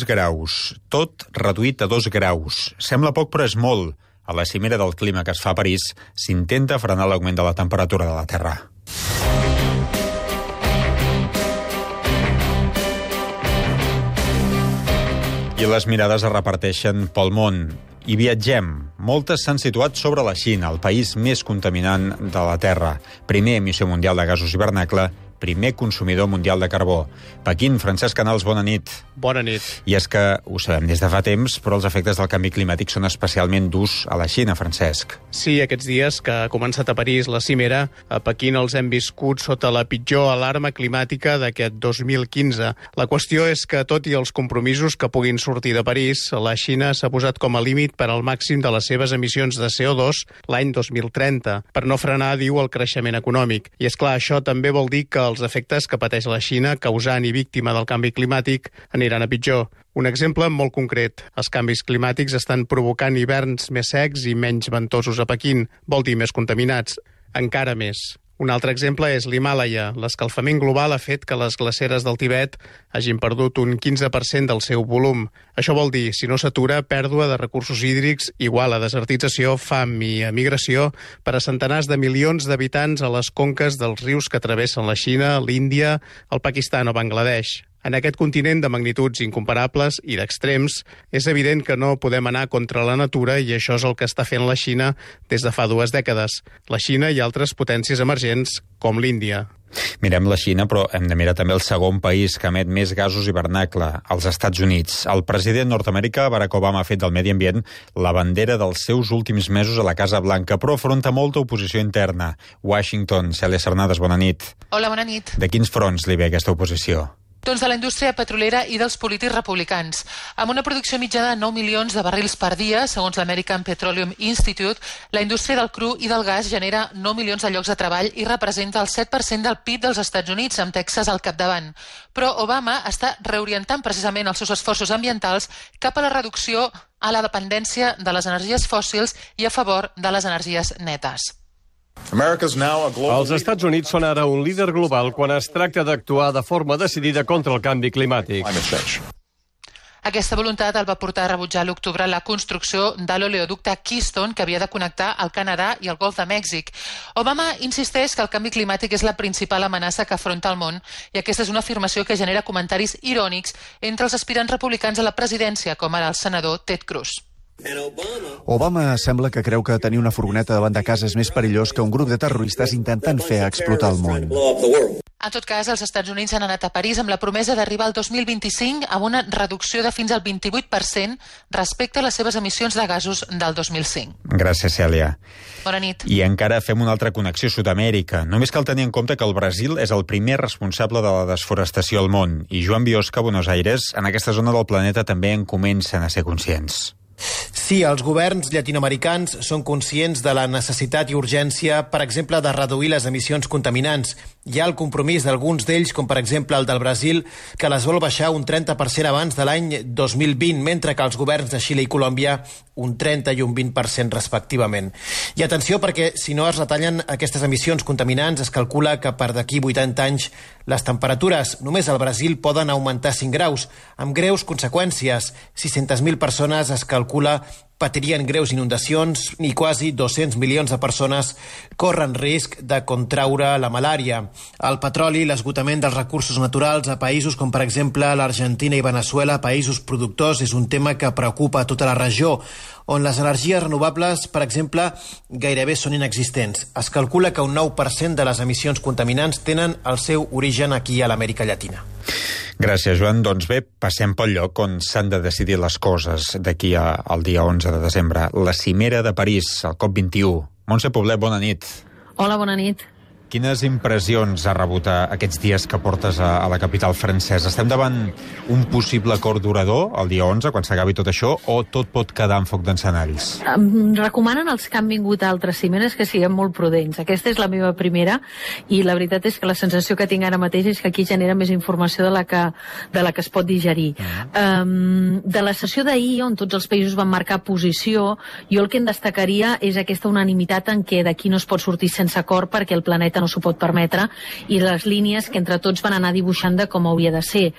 2 graus. Tot reduït a 2 graus. Sembla poc, però és molt. A la cimera del clima que es fa a París s'intenta frenar l'augment de la temperatura de la Terra. I les mirades es reparteixen pel món. I viatgem. Moltes s'han situat sobre la Xina, el país més contaminant de la Terra. Primer emissió mundial de gasos hivernacle, primer consumidor mundial de carbó. Pequín, Francesc Canals, bona nit. Bona nit. I és que ho sabem des de fa temps, però els efectes del canvi climàtic són especialment durs a la Xina, Francesc. Sí, aquests dies que ha començat a París la cimera, a Pequín els hem viscut sota la pitjor alarma climàtica d'aquest 2015. La qüestió és que, tot i els compromisos que puguin sortir de París, la Xina s'ha posat com a límit per al màxim de les seves emissions de CO2 l'any 2030, per no frenar, diu, el creixement econòmic. I és clar, això també vol dir que els efectes que pateix la Xina, causant i víctima del canvi climàtic, aniran a pitjor. Un exemple molt concret. Els canvis climàtics estan provocant hiverns més secs i menys ventosos a Pequín, vol dir més contaminats, encara més. Un altre exemple és l'Himàlaia. L'escalfament global ha fet que les glaceres del Tibet hagin perdut un 15% del seu volum. Això vol dir, si no s'atura, pèrdua de recursos hídrics igual a desertització, fam i emigració per a centenars de milions d'habitants a les conques dels rius que travessen la Xina, l'Índia, el Pakistan o Bangladesh. En aquest continent de magnituds incomparables i d'extrems, és evident que no podem anar contra la natura i això és el que està fent la Xina des de fa 2 dècades. La Xina i altres potències emergents, com l'Índia. Mirem la Xina, però hem de mirar també el segon país que emet més gasos hivernacle, els Estats Units. El president nord-americà, Barack Obama, ha fet del medi ambient la bandera dels seus últims mesos a la Casa Blanca, però afronta molta oposició interna. Washington, Cèlia Sernades, bona nit. Hola, bona nit. De quins fronts li ve aquesta oposició? Doncs de la indústria petrolera i dels polítics republicans. Amb una producció mitjana de 9 milions de barrils per dia, segons l'American Petroleum Institute, la indústria del cru i del gas genera 9 milions de llocs de treball i representa el 7% del PIB dels Estats Units, amb Texas al capdavant. Però Obama està reorientant precisament els seus esforços ambientals cap a la reducció a la dependència de les energies fòssils i a favor de les energies netes. Els Estats Units són ara un líder global quan es tracta d'actuar de forma decidida contra el canvi climàtic. Aquesta voluntat el va portar a rebutjar a l'octubre la construcció de l'oleoducte Keystone, que havia de connectar el Canadà i el Golf de Mèxic. Obama insisteix que el canvi climàtic és la principal amenaça que afronta el món, i aquesta és una afirmació que genera comentaris irònics entre els aspirants republicans a la presidència, com ara el senador Ted Cruz. Obama sembla que creu que tenir una furgoneta davant de casa és més perillós que un grup de terroristes intentant fer explotar el món. En tot cas, els Estats Units han anat a París amb la promesa d'arribar al 2025 amb una reducció de fins al 28% respecte a les seves emissions de gasos del 2005. Gràcies, Cèlia. Bona nit. I encara fem una altra connexió a Sud-amèrica. Només cal tenir en compte que el Brasil és el primer responsable de la desforestació al món. I Joan Biosca, a Buenos Aires, en aquesta zona del planeta també en comencen a ser conscients. Sí, els governs llatinoamericans són conscients de la necessitat i urgència, per exemple, de reduir les emissions contaminants. Hi ha el compromís d'alguns d'ells, com per exemple el del Brasil, que les vol baixar un 30% abans de l'any 2020, mentre que els governs de Xile i Colòmbia un 30 i un 20% respectivament. I atenció, perquè si no es retallen aquestes emissions contaminants, es calcula que per d'aquí 80 anys les temperatures només al Brasil poden augmentar 5 graus, amb greus conseqüències. 600.000 persones es calcula patirien greus inundacions i quasi 200 milions de persones corren risc de contraure la malària. El petroli i l'esgotament dels recursos naturals a països com, per exemple, l'Argentina i Veneçuela, països productors, és un tema que preocupa a tota la regió, on les energies renovables, per exemple, gairebé són inexistents. Es calcula que un 9% de les emissions contaminants tenen el seu origen aquí a l'Amèrica Llatina. Gràcies, Joan. Doncs bé, passem pel lloc on s'han de decidir les coses d'aquí al dia 11 de desembre. La cimera de París, el COP21. Montse Poblet, bona nit. Hola, bona nit. Quines impressions ha rebut aquests dies que portes a la capital francesa? Estem davant un possible acord durador el dia 11, quan s'acabi tot això, o tot pot quedar en foc d'encenalls? Recomanen els que han vingut a altres cimeres que siguem molt prudents. Aquesta és la meva primera, i la veritat és que la sensació que tinc ara mateix és que aquí genera més informació de la que es pot digerir. De la sessió d'ahir, on tots els països van marcar posició, jo el que en destacaria és aquesta unanimitat en què d'aquí no es pot sortir sense acord perquè el planeta no s'ho pot permetre, i les línies que entre tots van anar dibuixant de com hauria de ser.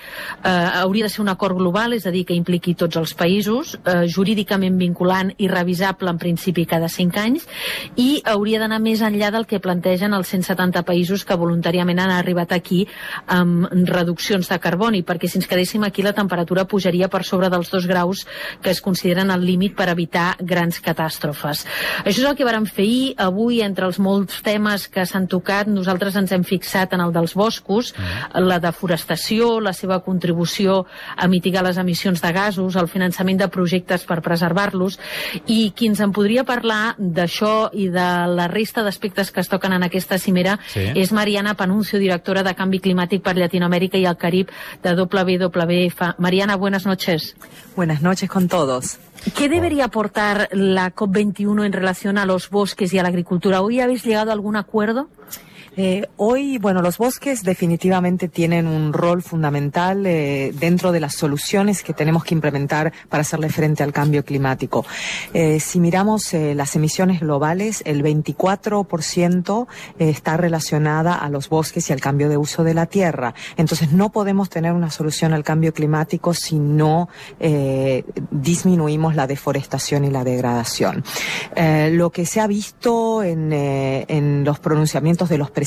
Hauria de ser un acord global, és a dir, que impliqui tots els països, jurídicament vinculant i revisable en principi cada 5 anys, i hauria d'anar més enllà del que plantegen els 170 països que voluntàriament han arribat aquí amb reduccions de carboni, perquè si ens quedéssim aquí la temperatura pujaria per sobre dels 2 graus que es consideren el límit per evitar grans catàstrofes. Això és el que vàrem fer ahir. Avui, entre els molts temes que s'han tocat, nosaltres ens hem fixat en el dels boscos, la deforestació, la seva contribució a mitigar les emissions de gasos, el finançament de projectes per preservar-los, i qui ens en podria parlar d'això i de la resta d'aspectes que es toquen en aquesta cimera és Mariana Panuncio, directora de Canvi Climàtic per Llatinoamèrica i el Carib de WWF. Mariana, buenas noches. Buenas noches con todos. ¿Qué debería aportar la COP21 en relación a los bosques y a la agricultura? ¿Hoy habéis llegado a algún acuerdo? Hoy, los bosques definitivamente tienen un rol fundamental dentro de las soluciones que tenemos que implementar para hacerle frente al cambio climático. Si miramos las emisiones globales, el 24% está relacionada a los bosques y al cambio de uso de la tierra. Entonces no podemos tener una solución al cambio climático si no disminuimos la deforestación y la degradación. Lo que se ha visto en los pronunciamientos de los presidentes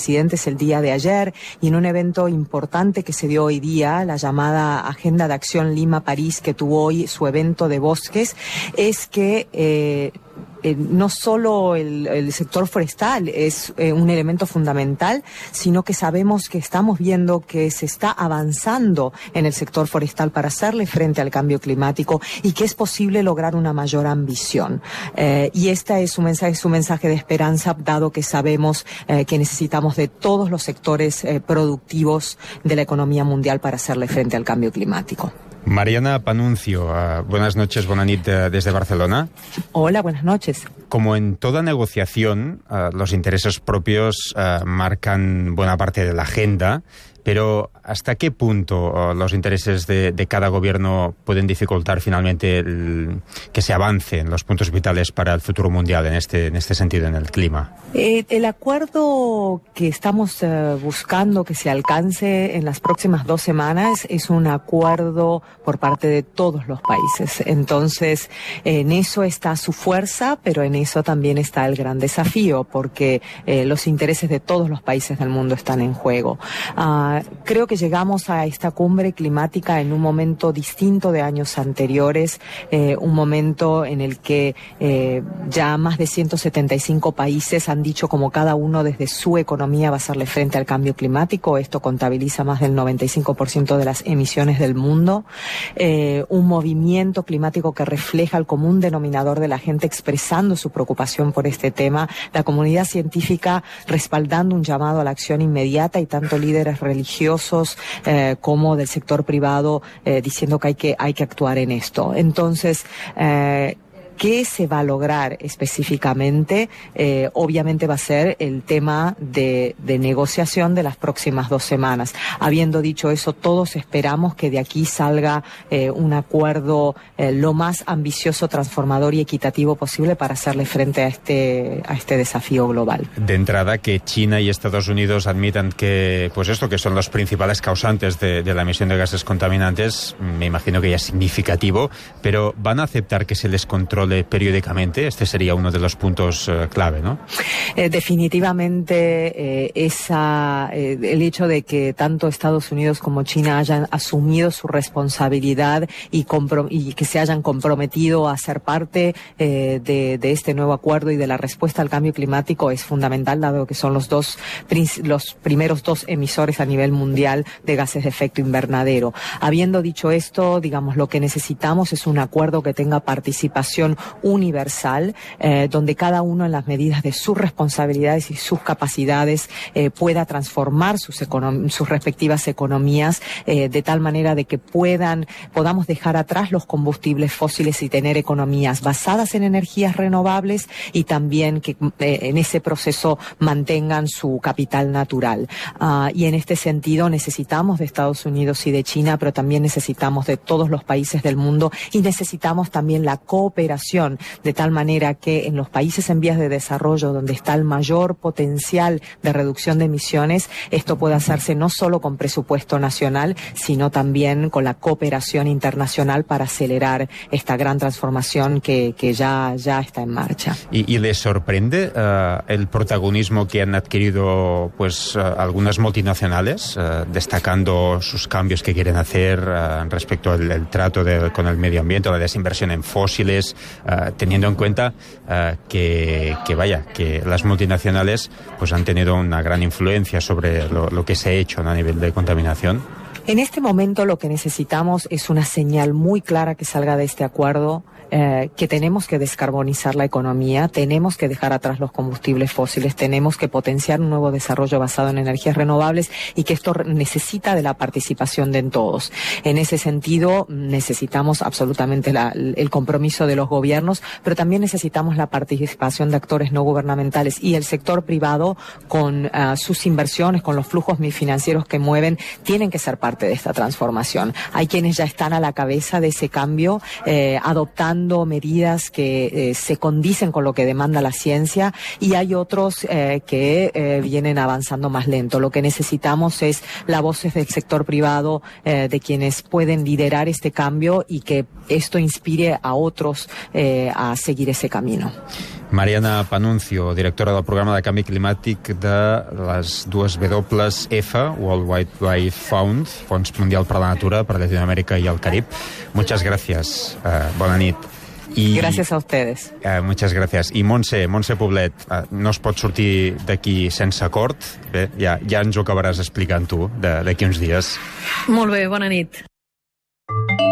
el día de ayer y en un evento importante que se dio hoy día, la llamada Agenda de Acción Lima-París, que tuvo hoy su evento de bosques, es que no solo el sector forestal es un elemento fundamental, sino que sabemos que estamos viendo que se está avanzando en el sector forestal para hacerle frente al cambio climático y que es posible lograr una mayor ambición. Y este es un mensaje de esperanza, dado que sabemos que necesitamos de todos los sectores productivos de la economía mundial para hacerle frente al cambio climático. Mariana Panuncio, buenas noches, buena nit desde Barcelona. Hola, buenas noches. Como en toda negociación, los intereses propios marcan buena parte de la agenda, pero ¿hasta qué punto los intereses de cada gobierno pueden dificultar finalmente que se avance en los puntos vitales para el futuro mundial en este sentido, en el clima? El acuerdo que estamos buscando que se alcance en las próximas 2 semanas es un acuerdo por parte de todos los países. Entonces, en eso está su fuerza, pero en eso también está el gran desafío, porque los intereses de todos los países del mundo están en juego. Creo que llegamos a esta cumbre climática en un momento distinto de años anteriores, un momento en el que ya más de 175 países han dicho como cada uno desde su economía va a hacerle frente al cambio climático. Esto contabiliza más del 95% de las emisiones del mundo. Un movimiento climático que refleja el común denominador de la gente expresando su preocupación por este tema, la comunidad científica respaldando un llamado a la acción inmediata y tanto líderes religiosos como del sector privado diciendo que hay que actuar en esto. Entonces, ¿qué se va a lograr específicamente? Obviamente va a ser el tema de negociación de las próximas 2 semanas. Habiendo dicho eso, todos esperamos que de aquí salga un acuerdo lo más ambicioso, transformador y equitativo posible para hacerle frente a este desafío global. De entrada, que China y Estados Unidos admitan que, que son los principales causantes de la emisión de gases contaminantes, me imagino que ya es significativo, pero ¿van a aceptar que se les controle periódicamente? Este sería uno de los puntos clave, ¿no? Definitivamente el hecho de que tanto Estados Unidos como China hayan asumido su responsabilidad y que se hayan comprometido a ser parte de este nuevo acuerdo y de la respuesta al cambio climático es fundamental, dado que son los primeros 2 emisores a nivel mundial de gases de efecto invernadero. Habiendo dicho esto, lo que necesitamos es un acuerdo que tenga participación universal, donde cada uno en las medidas de sus responsabilidades y sus capacidades pueda transformar sus respectivas economías de tal manera de que podamos dejar atrás los combustibles fósiles y tener economías basadas en energías renovables y también que en ese proceso mantengan su capital natural. Y en este sentido necesitamos de Estados Unidos y de China, pero también necesitamos de todos los países del mundo y necesitamos también la cooperación cooperación, de tal manera que en los países en vías de desarrollo, donde está el mayor potencial de reducción de emisiones, esto puede hacerse no solo con presupuesto nacional, sino también con la cooperación internacional para acelerar esta gran transformación que ya está en marcha. ¿Y les sorprende el protagonismo que han adquirido algunas multinacionales, destacando sus cambios que quieren hacer respecto al trato con el medio ambiente, la desinversión en fósiles, teniendo en cuenta que las multinacionales han tenido una gran influencia sobre lo que se ha hecho a nivel de contaminación? En este momento lo que necesitamos es una señal muy clara que salga de este acuerdo, que tenemos que descarbonizar la economía, tenemos que dejar atrás los combustibles fósiles, tenemos que potenciar un nuevo desarrollo basado en energías renovables y que esto necesita de la participación de todos. En ese sentido, necesitamos absolutamente el compromiso de los gobiernos, pero también necesitamos la participación de actores no gubernamentales y el sector privado con sus inversiones, con los flujos financieros que mueven, tienen que ser parte de esta transformación. Hay quienes ya están a la cabeza de ese cambio, adoptando medidas que se condicen con lo que demanda la ciencia, y hay otros que vienen avanzando más lento. Lo que necesitamos es las voces del sector privado, de quienes pueden liderar este cambio y que esto inspire a otros a seguir ese camino. Mariana Panuncio, directora del programa de canvi climàtic de les dues WF, World Wildlife Fund, Fons Mundial per la Natura, per Latinoamérica y el Carib. Muchas gracias. Bona nit. Gracias a ustedes. Muchas gracias. I Montse Poblet, no es pot sortir d'aquí sense acord. Bé, ja ens ho acabaràs explicant tu d'aquí uns dies. Molt bé, bona nit.